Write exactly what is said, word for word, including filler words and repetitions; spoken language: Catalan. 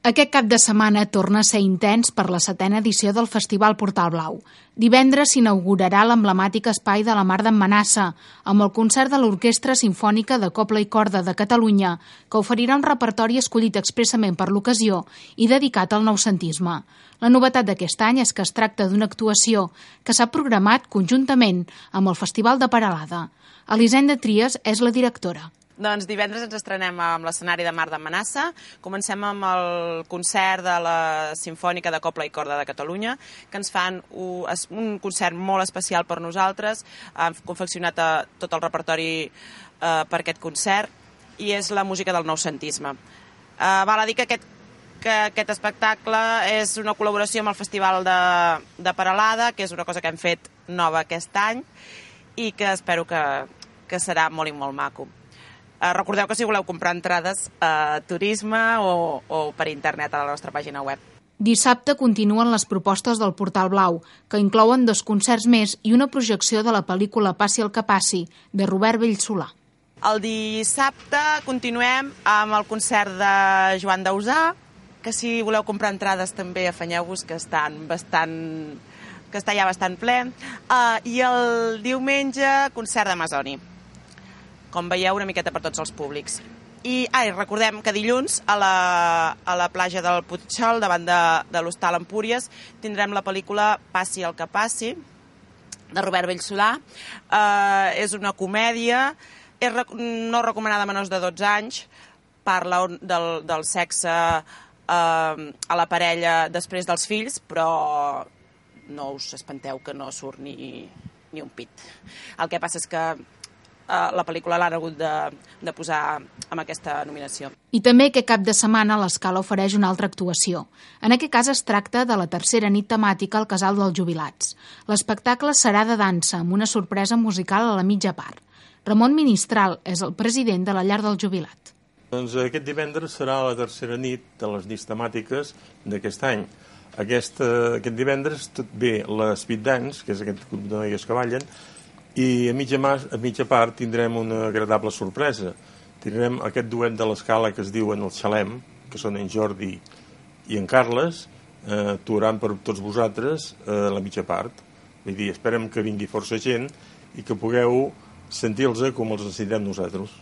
Aquest cap de setmana torna a ser intens per la setena edició del Festival Portal Blau. Divendres s'inaugurarà l'emblemàtic espai de la Mar d'en Manassa, amb el concert de l'Orquestra Simfònica de Cobla i Corda de Catalunya, que oferirà un repertori escollit expressament per l'ocasió i dedicat al noucentisme. La novetat d'aquest any és que es tracta d'una actuació que s'ha programat conjuntament amb el Festival de Peralada. Elisenda Trias és la directora. Doncs divendres ens estrenem amb l'escenari de Mar d'en Manassa. Comencem amb el concert de la Simfònica de Cobla i Corda de Catalunya, que ens fan un concert molt especial per nosaltres. Han confeccionat tot el repertori per aquest concert i és la música del noucentisme. Val a dir que aquest, que aquest espectacle és una col·laboració amb el Festival de, de Peralada, que és una cosa que hem fet nova aquest any i que espero que, que serà molt i molt maco. Recordeu que si voleu comprar entrades a Turisme o, o per internet a la nostra pàgina web. Dissabte continuen les propostes del Portal Blau, que inclouen dos concerts més i una projecció de la pel·lícula Passi el que passi, de Robert Bellsolà. El dissabte continuem amb el concert de Joan Dausà, que si voleu comprar entrades també afanyeu-vos, que estan bastant... que està ja bastant ple. Uh, I el diumenge, concert d'Amazoni. Com veieu, una miqueta per tots els públics. I ai, recordem que dilluns a la, a la platja del Putxol, davant de, de l'Hostal Empúries, tindrem la pel·lícula Passi el que passi, de Robert Bellsolà. Eh, és una comèdia, és rec no recomanada a menors de dotze anys, parla del, del sexe eh, a la parella després dels fills, però no us espanteu que no surt ni, ni un pit. El que passa és que la pel·lícula l'han hagut de, de posar amb aquesta nominació. I també aquest cap de setmana l'Escala ofereix una altra actuació. En aquest cas es tracta de la tercera nit temàtica al Casal dels Jubilats. L'espectacle serà de dansa, amb una sorpresa musical a la mitja part. Ramon Ministral és el president de la Llar del Jubilat. Doncs aquest divendres serà la tercera nit de les nits temàtiques d'aquest any. Aquest, aquest divendres tot ve la Speed Dance, que és aquest grup de noies que ballen, i a mitja, a mitja part tindrem una agradable sorpresa. Tindrem aquest duet de l'Escala que es diuen el Xalem, que són en Jordi i en Carles, eh, actuaran per tots vosaltres a la mitja part. Vull dir, esperem que vingui força gent i que pugueu sentir-los com els necessitem nosaltres.